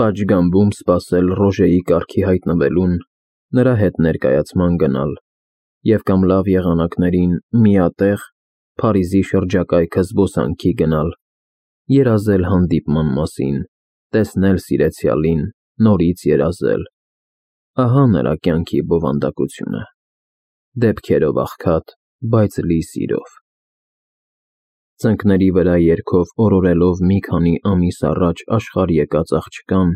Պատշգամբում սպասել Ռոժեի կառքի հայտնվելուն, նրա հետ ներկայացման գնալ և կամ լավ եղանակներին միատեղ Փարիզի շրջակայքը զբոսանքի գնալ, երազել հանդիպման մասին, տեսնել սիրեցյալին, նորից երազել. ահա նրա կյանքի բովանդակությունը, դեպքերով աղքատ, բայց լի սիրով։ Ծնկների վրա երգով օրորելով մի քանի ամիս առաջ աշխարհ եկած աղջկան,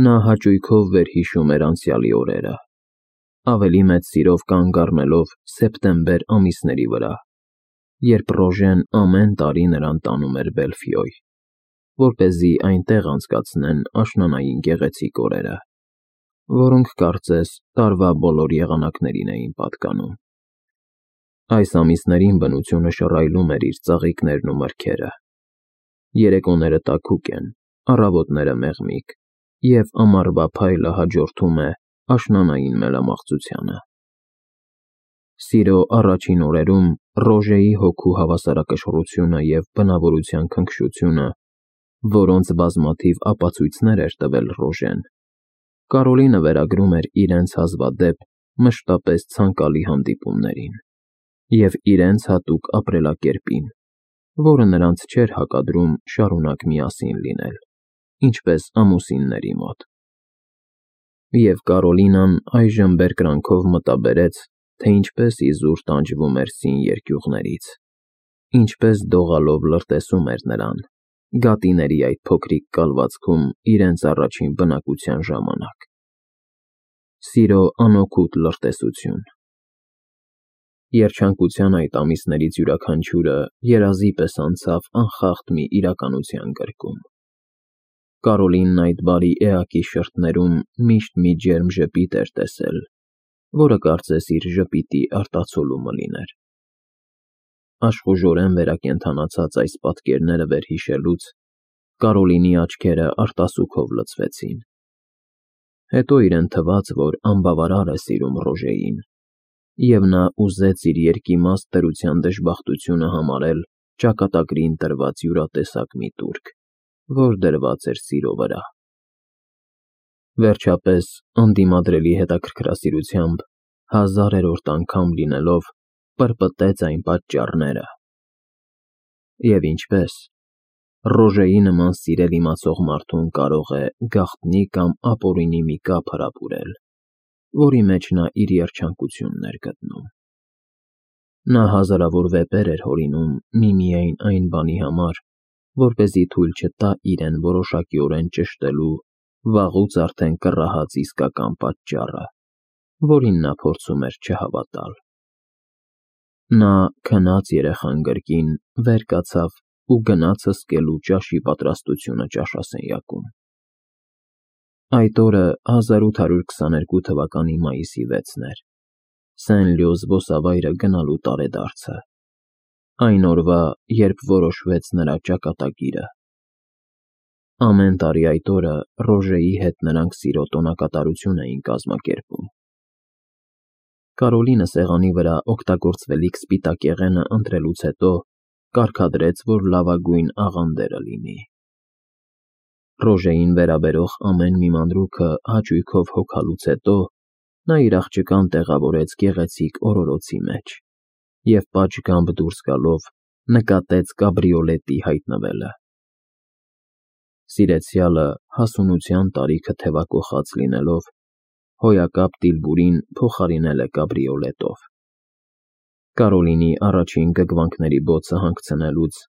նա հաճույքով վերհիշում էր անցյալի օրերը, ավելի մեծ սիրով կանգ առնելով սեպտեմբեր ամիսների վրա, երբ Ռոժեն ամեն տարի նրան տանում էր Բելֆիոյ, որպեսզի այնտեղ անցկացնեն աշնանային գեղեցիկ օրերը, որոնք կարծես տարվա բոլոր եղանակներին էին պատկանում։ Այս ամիսներին բնությունը շռայլում էր իր ծաղիկներն ու մրգերը, երեկոները տաքուկ են, առավոտները մեղմիկ, և ամառվա փայլը հաջորդում է աշնանային մելամաղձությանը։ Սիրո առաջին օրերում Ռոժեի հոգու հավասարակշռությունը և բնավորության քնքշությունը, որոնց բազմաթիվ ապացույցներ էր տվել Ռոժեն, Կարոլինը վերագրում էր իրենց հազվադեպ, մշտապես ցանկալի հանդիպումներին և իրենց հատուկ ապրելակերպին, որը նրանց չէր հակադրում շարունակ միասին լինել, ինչպես ամուսինների մոտ։ Եվ Կարոլինան այժմ բերկրանքով մտաբերեց, թե ինչպես իզուր տանջվում էր սին երկյուղներից, ինչպես դողալով լրտեսում էր նրան, գատիների այդ փոքրիկ կալվածքում իրենց առաջին բնակության ժամանակ։ Սիրո անօգուտ լրտեսություն։ Երջանկության այդ ամիսներից յուրաքանչյուրը երազի պես անցավ անխախտ մի իրականության գրկում։ Կարոլինն այդ բարի էակի շրթներում միշտ մի ջերմ ժպիտ էր տեսել, որը կարծես իր ժպիտի արտացոլումը լիներ։ Աշխուժորեն վերակենդանացած այս պատկերները վերհիշելուց Կարոլինի աչքերը արտասուքով լցվեցին։ Հետո իրեն թվաց, որ անբավարար է սիրում Ռոժեին, և նա ուզեց իր երկիմաստ դրության դժբախտությունը համարել ճակատագրին տրված յուրատեսակ մի տուրք, որ դրված էր սիրո վրա։ Վերջապես, անդիմադրելի հետաքրքրասիրությամբ, հազարերորդ անգամ լինելով, պրպտեց այն պատճառները։ Եվ ինչպես։ Ռոժեի նման սիրել իմացող մարդուն կարող է գաղտնի կամ ապօրինի մի կապ հրապուրել, որի մեջ նա իր երջանկությունն էր գտնում։ Նա հազարավոր վեպեր էր հորինում միմիայն այն բանի համար, որպեսզի թույլ չտա իրեն որոշակիորեն ճշտելու վաղուց արդեն կռահած իսկական պատճառը, որին նա փորձում էր չհավատալ։ Նա քնած երեխան կրկին վեր կացավ ու գնաց հսկելու ճաշի պատրաստությունը ճաշասենյակում։ Այդ օրը 1822 թվականի մայիսի 6-ն էր, Սեն-Լյո զբոսավայրը գնալու տարեդարձը, այն օրվա, երբ որոշվեց նրա ճակատագիրը։ Ամեն տարի այդ օրը Ռոժեի հետ նրանք սիրո տոնակատարություն էին կազմակերպում։ Կարոլինը սեղանի վրա օգտագործվելիք սպիտակեղենը ընտրելուց հետո կարգադրեց, որ լավագույն աղանդերը լինի։ Ռոժեին վերաբերող ամեն մի մանրուքը հաճույքով հոգալուց հետո նա իր աղջկան տեղավորեց գեղեցիկ օրորոցի մեջ և պատշգամբ դուրս գալով նկատեց կաբրիոլետի հայտնվելը։ Սիրեցյալը հասունության տարիքը թևակոխած լինելով, հոյակապ դիլբուրին փոխարինել է կաբրիոլետով։ Կարոլինի առաջին գգվանքների բոցը հանգցնելուց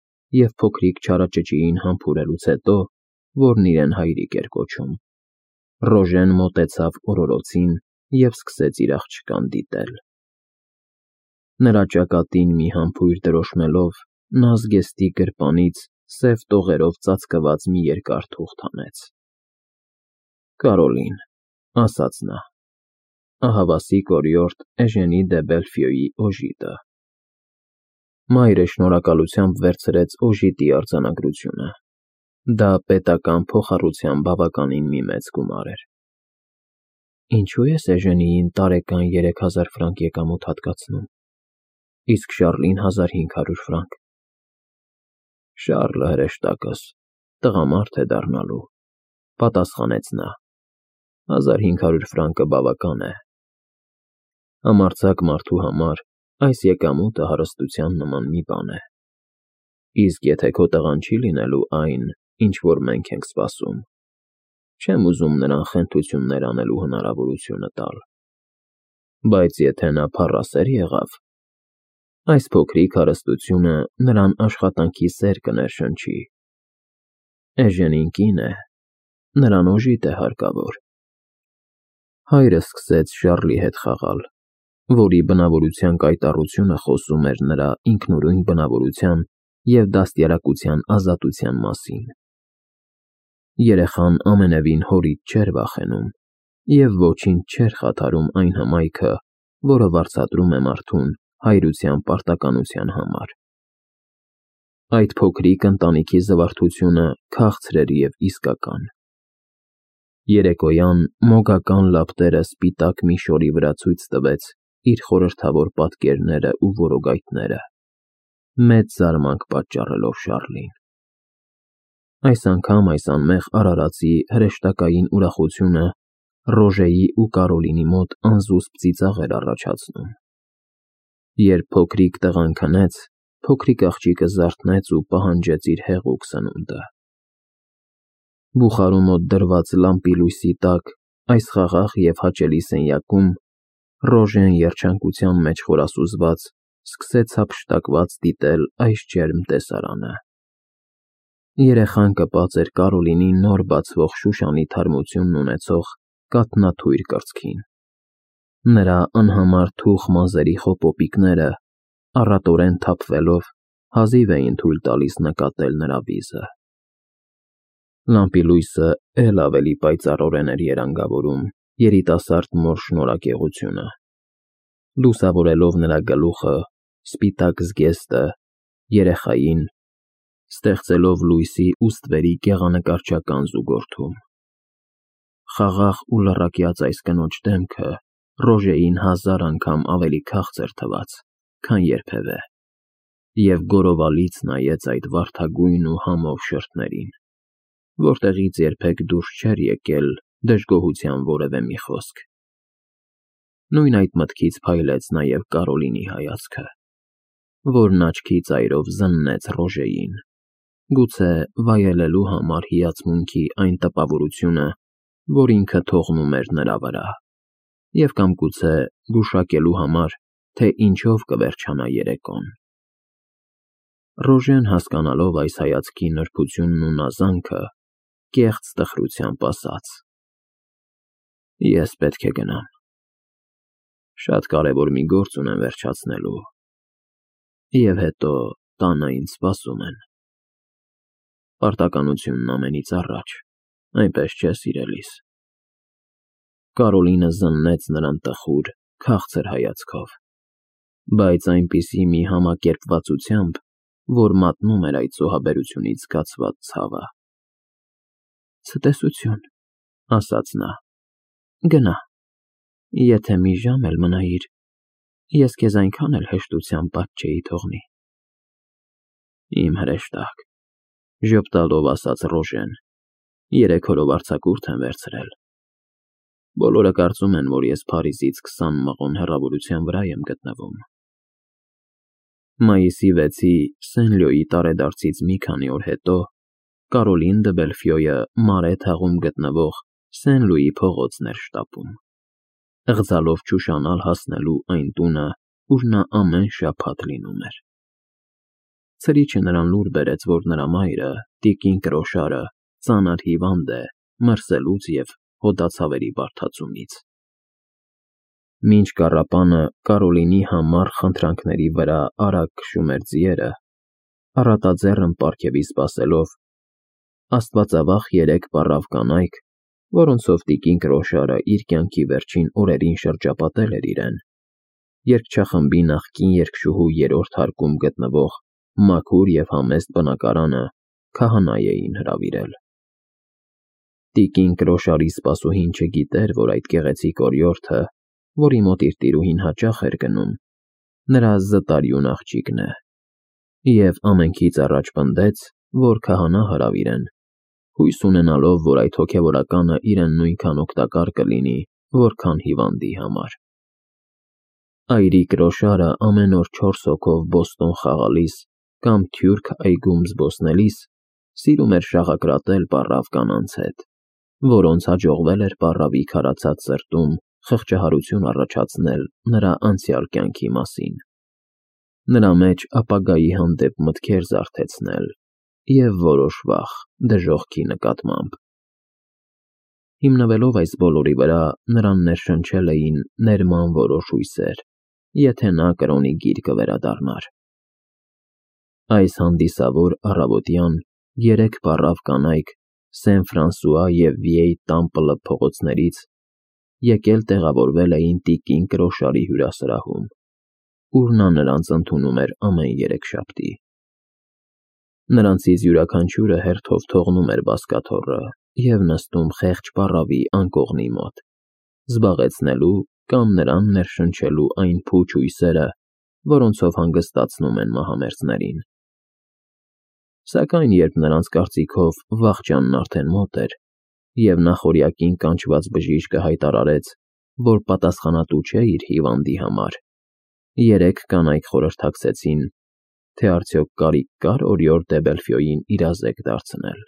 և փոքրիկ չարաճճիին համբուրելուց հետո, որն իրեն հայրիկ էր կոչում, Ռոժեն մոտեցավ օրորոցին և սկսեց իր աղջկան դիտել։ Նրա ճակատին մի համբույր դրոշմելով, նա զգեստի գրպանից սև տողերով ծածկված մի երկար թուղթ հանեց։ Կարոլին, ասաց նա, ահավասիկ օրիորդ Էժենի դե Բելֆիոյի օժիտը։ Մայրը շնորհակալությամբ վերցրեց օժիտի արձանագրությունը։ Դա պետական փոխառության բավականին մի մեծ գումար էր։ Ինչու ես Էժենիին տարեկան 3000 ֆրանկ եկամուտ հատկացնում, իսկ Շառլին 1500 ֆրանկ։ Շառլը հրեշտակս, տղամարդ է դառնալու, Պատասխանեց նա. 1500 ֆրանկը բավական է։ Համարձակ մարդու համար այս եկամուտը հարստության նման մի բան է։ Իսկ եթե քո տղան չի լինելու այն, ինչ որ մենք ենք սպասում, չեմ ուզում նրան խենթություններ անելու հնարավորությունը տալ։ Բայց եթե նա փառասեր եղավ, այս փոքրիկ հարստությունը նրան աշխատանքի սեր կներշնչի։ Էժենին կին է, նրան օժիտ է հարկավոր։ Հայրը սկսեց Շառլի հետ խաղալ, որի բնավորության կայտառությունը խոսում էր նրա ինքնուրույն բնավորության և դաստիարակության ազատության մասին։ Երեխան ամենևին հորից չէր վախենում և ոչինչ չէր խաթարում այն հմայքը, որը վարձատրում է մարդուն հայրության պարտականության համար։ Այդ փոքրիկ ընտանիքի զվարթությունը քաղցր էր և իսկական։ Երեկոյան մոգական լապտերը սպիտակ մի շորի վրա ցույց տվեց իր խորհրդավոր պատկերները ու որոգայթները, մեծ զարմանք պատճառելով Շառլին։ Այս անգամ այս անմեղ արարածի հրեշտակային ուրախությունը Ռոժեի ու Կարոլինի մոտ անզուսպ ծիծաղ էր առաջացնում։ Երբ փոքրիկ տղան քնեց, փոքրիկ աղջիկը զարթնեց ու պահանջեց իր հեղուկ սնունդը։ Բուխարու մոտ դրված լամպի լույսի տակ այս խաղաղ և հաճելի սենյակում Ռոժեն երջանկության մեջ խորասուզված սկսեց հափշտակված դիտել այս ջերմ տեսարանը։ Երեխան կպած էր Կարոլինի նոր բացվող շուշանի թարմությունն ունեցող կաթնաթույր կրծքին։ Նրա անհամար թուխ մազերի խոպոպիկները, առատորեն թափվելով, հազիվ էին թույլ տալիս նկատել նրա վիզը։ Լամպի լույսը էլ ավելի պայծառորեն էր երանգավորում երիտասարդ մոր շնորհակեղությունը, լուսավորելով նրա գլուխը, սպիտակ զգեստը, երեխային, ստեղծելով լույսի ու ստվերի գեղանկարչական զուգորդում։ Խաղաղ ու լռակյաց այս կնոջ դեմքը Ռոժեին 1000 անգամ ավելի քաղցր թվաց, քան երբևէ, և գորովալից նայեց այդ վարդագույն ու համով շրթներին, որտեղից երբեք դուրս չէր եկել դժգոհության որևէ մի խոսք։ Նույն այդ մտքից փայլեց նաև Կարոլինի հայացքը, որն աչքի ծայրով զննեց Ռոժեին, գուցե վայելելու համար հիացմունքի այն տպավորությունը, որ ինքը թողնում էր նրա վրա, և կամ գուցե գուշակելու համար, թե ինչով կվերջանա երեկոն։ Ռոժեն, հասկանալով այս հայացքի նրբությունն ու նազանքը, կեղծ տխրությամբ ասաց. Ես պետք է գնամ։ Շատ կարևոր մի գործ ունեմ վերջացնելու, և հետո տանը ինձ սպասում են։ Պարտականությունն ամենից առաջ, այնպես չէ, սիրելիս։ Կարոլինը զննեց նրան տխուր, քաղցր հայացքով, բայց այնպիսի մի համակերպվածությամբ, որ մատնում էր այդ զոհաբերությունից զգացված ցավը։ Ցտեսություն, ասաց նա, գնա, եթե մի ժամ էլ մնայիր, ես քեզ այնքան էլ հեշտությամբ պատճ չէի թողնի։ Իմ հրեշտակ, ժպտալով ասաց Ռոժեն, 3 օրով արձակուրդ եմ վերցրել։ Բոլորը կարծում են, որ ես Փարիզից 20 մղոն հեռավորության վրա եմ գտնվում։ Մայիսի 6-ի Սեն-Լյոյի տարեդարձից մի քանի օր հետո Կարոլին դը Բելֆյոյը Մարե թաղում գտնվող Սեն-Լուի փողոցն էր շտապում, ըղձալով չուշանալ հասնելու այն տունը, ուր նա ամեն շաբաթ լինում էր։ Ցրիչը նրան լուր բերեց, որ նրա մայրը, տիկին Կրոշարը, ծանր հիվանդ է մրսելուց և հոդացավերի բարդացումից։ Մինչ կառապանը Կարոլինի համառ խնդրանքների վրա արագ քշում էր ձիերը, առատաձեռն պարգևի սպասելով, աստվածավախ 3 պառավ կանայք, որոնցով տիկին Կրոշարը իր կյանքի վերջին օրերին շրջապատել էր իրեն, երգչախմբի նախկին երգչուհու 3-րդ հարկում գտնվող մաքուր և համեստ բնակարանը քահանայի էին հրավիրել։ Տիկին Կրոշարի սպասուհին չգիտեր, որ այդ գեղեցիկ օրիորդը, որի մոտ իր տիրուհին հաճախ էր գնում, նրա զտարյուն աղջիկն է, և ամենքից առաջ պնդեց, որ քահանա հրավիրեն, հույս ունենալով, որ այդ հոգևորականը իրեն նույնքան օգտակար կլինի, որքան հիվանդի համար։ Այրիկ Ռոշարը ամեն օր 4 հոգով Բոստոն խաղալիս կամ Թյուրք այգում զբոսնելիս սիրում էր շաղակրատել պառավ կանանց հետ, որոնց հաջողվել էր պառավի քարացած սրտում խղճահարություն առաջացնել նրա անցյալ կյանքի մասին, նրա մեջ ապագայի հանդեպ մտքեր զարթեցնել և որոշ վախ դժոխքի նկատմամբ։ Հիմնվելով այս բոլորի վրա, նրան ներշնչել էին ներման որոշ հույսեր, եթե նա կրոնի գիրկը վերադառնար։ Այս հանդիսավոր առավոտյան 3 պառավ կանայք Սեն Ֆրանսուଆ և Վիեյ Տամպլը փողոցներից եկել տեղավորվել էին տիկին Կրոշարի հյուրասրահում, ուր նա նրանց ընդունում էր ամեն երեքշաբթի։ Նրանցից յուրաքանչյուրը հերթով թողնում էր բազկաթոռը և նստում խեղճ պառավի անկողնի մոտ, զբաղեցնելու կամ նրան ներշնչելու այն փուչ հույսերը, որոնցով հանգստացնում են մահամերձներին։ Սակայն երբ նրանց կարծիքով վախճանն արդեն մոտ էր, և նախօրյակին կանչված բժիշկը հայտարարեց, որ պատասխանատու չէ իր հիվանդի համար, 3 կանայք խորհրդակցեցին, թե արդյոք կարիք կար օրիորդ դե Բելֆյոյին իրազեկ դարձնել։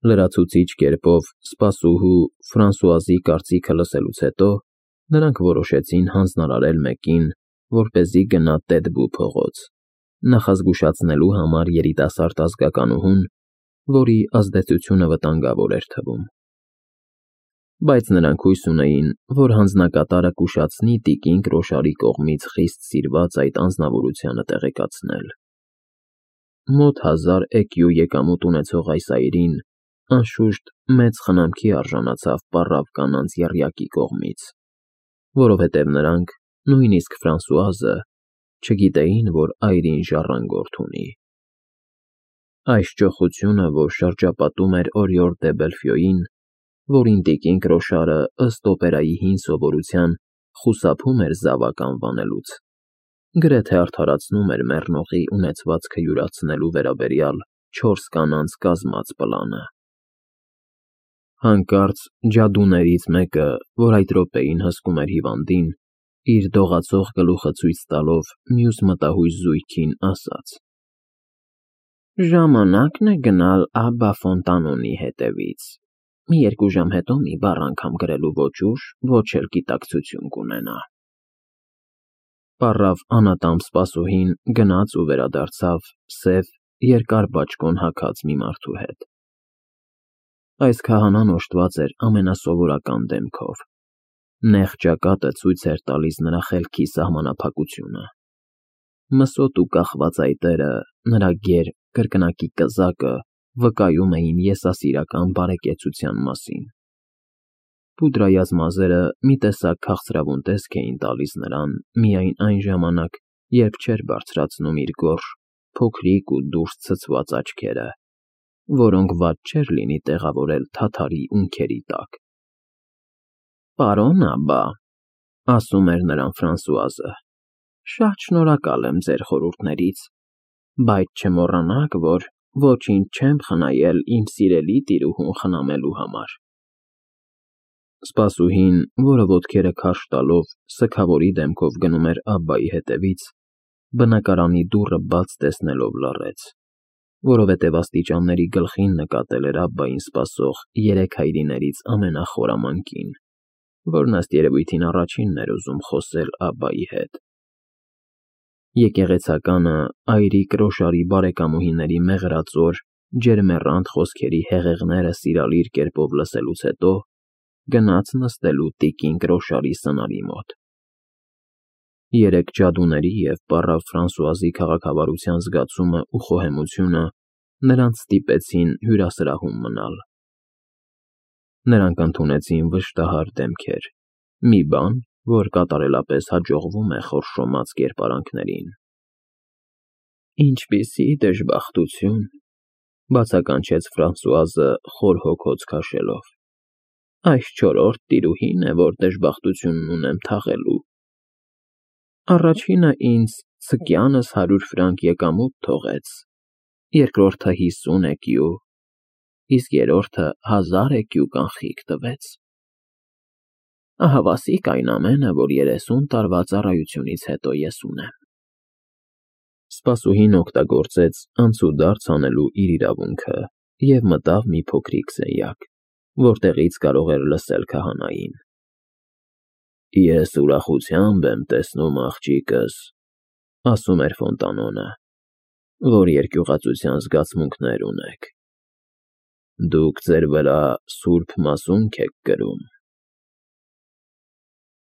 Լրացուցիչ կերպով սպասուհու Ֆրանսուազի կարծիքը լսելուց հետո նրանք որոշեցին հանձնարարել մեկին, որպեսզի գնա Տետբու փողոց, նախազգուշացնելու համար երիտասարդ ազգականուհուն, որի ազդեցությունը վտանգավոր էր թվում։ Բայց նրանք հույս ունեին, որ հանձնակատարը կուշացնի տիկին Կրոշարի կողմից խիստ սիրված այդ անձնավորությանը տեղեկացնել։ Մոտ 1000 էկյու եկամուտ ունեցող այս այրին, անշուշտ, մեծ խնամքի արժանացավ պառավ կանանց եռյակի կողմից, որովհետև նրանք, նույնիսկ Ֆրանսուազը, չգիտեին, որ այրին ժառանգորդ ունի։ Այս ճոխությունը, որ շրջապատում էր օրիորդ դե Բելֆյոյին, որին տիկին Կրոշարը ըստ օպերայի հին սովորության խուսափում էր զավակ անվանելուց, գրեթե արդարացնում էր մեռնողի ունեցվածքը յուրացնելու վերաբերյալ 4 կանանց կազմած պլանը։ Հանկարծ ջադուներից մեկը, որ այդ րոպեին հսկում էր հիվանդին, իր դողացող գլուխը ցույց տալով մյուս մտահույզ զույգին ասաց. «Ժամանակն է գնալ Աբբա Ֆոնտանոնի հետևից, մի 2 ժամ հետո մի բառ անգամ գրելու ոչ ուժ, ոչ էլ գիտակցություն կունենա»։ Պառավ անատամբ սպասուհին գնաց ու վերադարձավ սև, երկար բաճկոն հագած մի մարդու հետ։ Այս քահանան օժտված էր ամենասովորական դեմքով։ Նեղ ճակատը ցույց էր տալիս նրա խելքի սահմանափակությունը։ Մսոտ ու կախված այտերը, նրա գեր, կրկնակի կզակը վկայում էին եսասիրական բարեկեցության մասին։ Պուդրայած մազերը մի տեսակ քաղցրավուն տեսք էին տալիս նրան միայն այն ժամանակ, երբ չէր բարձրացնում իր գորշ, փոքրիկ ու դուրս ցցված աչքերը, որոնք վատ չէր լինի տեղավորել թաթարի ունքերի տակ։ «Պարոն Աբբա», ասում էր նրան Ֆրանսուազը, «շատ շնորհակալ եմ ձեր խորհուրդներից, բայց չմոռանաք, որ ոչինչ չեմ խնայել իմ սիրելի տիրուհուն խնամելու համար»։ Սպասուհին, որը ոտքերը քարշ տալով սգավորի դեմքով գնում էր Աբբայի հետևից, բնակարանի դուռը բաց տեսնելով լռեց, որովհետև աստիճանների գլխին նկատել էր Աբբային սպասող 3 հայրիներից ամենախորամանկին, որն ըստ երևույթին առաջինն էր ուզում խոսել Աբբայի հետ։ Եկեղեցականը այրիկ Ռոշարի բարեկամուհիների մեղրածոր, ջերմեռանդ խոսքերի հեղեղները սիրալիր կերպով լսելուց հետո գնաց նստելու տիկին Կրոշարի սնարի մոտ։ 3 ջադուների և պառավ Ֆրանսուազի քաղաքավարության զգացումը ու խոհեմությունը նրանց ստիպեցին հյուրասրահում մնալ։ Նրանք ընդունեցին վշտահար դեմքեր, մի բան, որ կատարելապես հաջողվում է խորշոմած կերպարանքներին։ «Ինչպիսի դժբախտություն», բացականչեց Ֆրանսուազը խոր հոգոց քաշելով։ «Այս 4-րդ տիրուհին է, որ դժբախտությունն ունեմ թաղելու։ Առաջինը ինձ ցկյանս 100 ֆրանկ եկամուտ թողեց, երկրորդը 50 էկյու, իսկ երրորդը 1000 էկու կանխիկ տվեց։ Ահավասիկ այն ամենը, որ 30 տարվա ծառայությունից հետո ես ունեմ։ Սպասուհին օգտագործեց անցուդարձ անելու իր իրավունքը և մտավ մի փոքրիկ սենյակ, որտեղից կարող էր լսել քահանային։ Ես ուրախությամբ եմ տեսնում, աղջիկս, ասում էր Ֆոնտանոնը, որ երկյուղածության զգացմունքներ ունեք։ Դուք ձեր վրա սուրբ մասունք եք կրում։